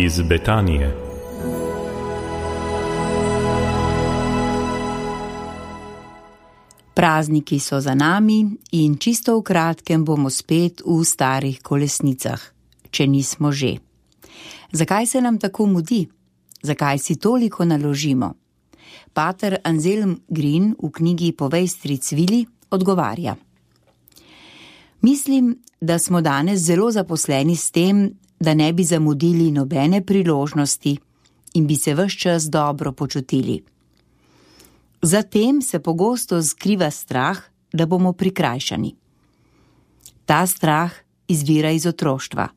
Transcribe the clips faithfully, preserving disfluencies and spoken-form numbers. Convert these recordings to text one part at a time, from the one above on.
Iz Betanije. Prazniki so za nami in čisto v kratkem bomo spet v starih kolesnicah, če nismo že. Zakaj se nam tako mudi? Zakaj si toliko naložimo? Pater Anselm Green v knjigi Povej stric Vili odgovarja. Mislim, da smo danes zelo zaposleni s tem, da ne bi zamudili nobene priložnosti in bi se ves čas dobro počutili. Zatem se pogosto skriva strah, da bomo prikrajšani. Ta strah izvira iz otroštva.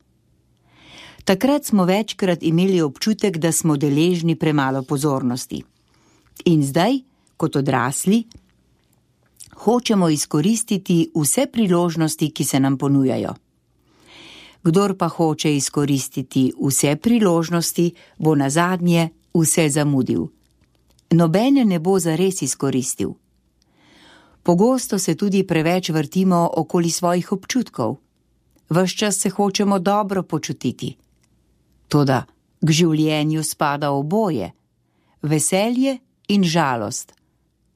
Takrat smo večkrat imeli občutek, da smo deležni premalo pozornosti. In zdaj, kot odrasli, hočemo izkoristiti vse priložnosti, ki se nam ponujajo. Kdor pa hoče izkoristiti vse priložnosti, bo nazadnje vse zamudil. Nobene ne bo zares izkoristil. Pogosto se tudi preveč vrtimo okoli svojih občutkov. Ves čas se hočemo dobro počutiti. Toda k življenju spada oboje, veselje in žalost,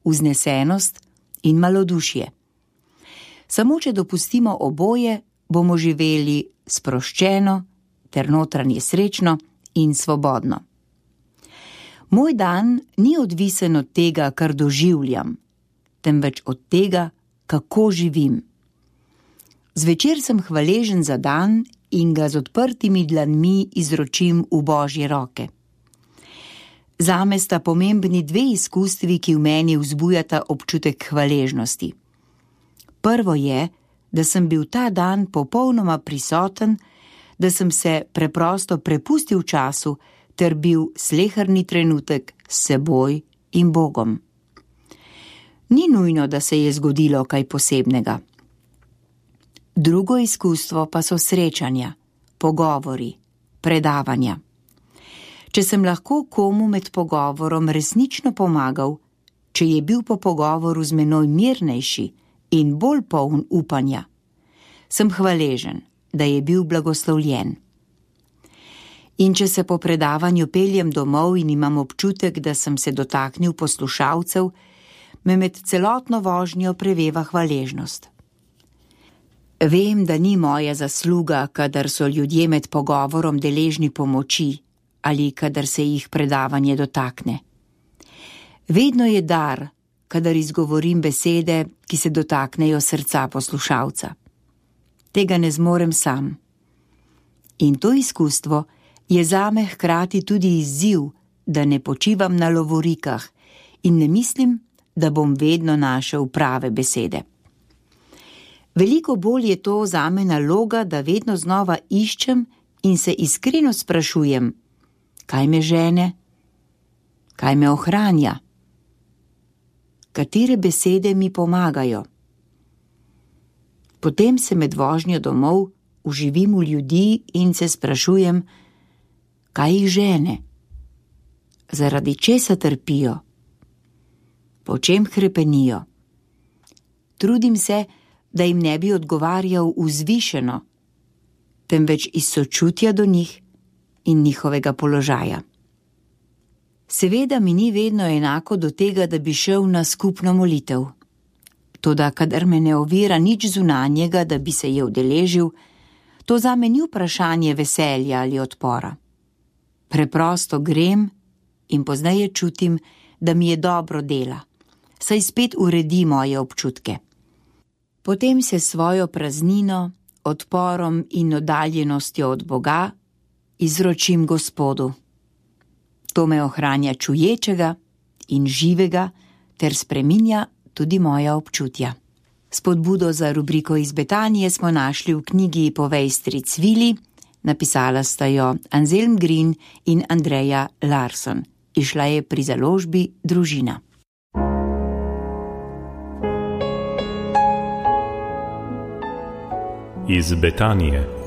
vznesenost in malodušje. Samo če dopustimo oboje, bomo živeli sproščeno ter notranje srečno in svobodno. Moj dan ni odvisen od tega, kar doživljam, temveč od tega, kako živim. Zvečer sem hvaležen za dan in ga z odprtimi dlanmi izročim v Božje roke. Zame sta pomembni dve izkustvi, ki v meni vzbujata občutek hvaležnosti. Prvo je, da sem bil ta dan popolnoma prisoten, da sem se preprosto prepustil času ter bil sleherni trenutek s seboj in Bogom. Ni nujno, da se je zgodilo kaj posebnega. Drugo izkustvo pa so srečanja, pogovori, predavanja. Če sem lahko komu med pogovorom resnično pomagal, če je bil po pogovoru z menoj mirnejši in bolj poln upanja, sem hvaležen, da je bil blagoslovljen. In če se po predavanju peljem domov in imam občutek, da sem se dotaknil poslušalcev, me med celotno vožnjo preveva hvaležnost. Vem, da ni moja zasluga, kadar so ljudje med pogovorom deležni pomoči ali kadar se jih predavanje dotakne. Vedno je dar, kadar izgovorim besede, ki se dotaknejo srca poslušalca. Tega ne zmorem sam. In to izkustvo je zame hkrati tudi izziv, da ne počivam na lovorikah in ne mislim, da bom vedno našel prave besede. Veliko bolj je to zame naloga, da vedno znova iščem in se iskreno sprašujem, kaj me žene, kaj me ohranja, katere besede mi pomagajo. Potem se med vožnjo domov uživim v ljudi in se sprašujem, kaj jih žene, zaradi česa trpijo, po čem hrepenijo. Trudim se, da jim ne bi odgovarjal vzvišeno, temveč iz sočutja do njih in njihovega položaja. Seveda mi ni vedno enako do tega, da bi šel na skupno molitev. Toda kadar me ne ovira nič zunanjega, da bi se je udeležil, to zame ni vprašanje veselja ali odpora. Preprosto grem in pozneje čutim, da mi je dobro dela, saj spet uredi moje občutke. Potem se svojo praznino, odporom in oddaljenostjo od Boga izročim Gospodu. To me ohranja čuječega in živega ter spreminja tudi moja občutja. Spodbudo za rubriko Iz Betanije smo našli v knjigi Povej stric Vili, napisala sta jo Anselm Green in Andreja Larson. Išla je pri založbi Družina. Iz Betanije.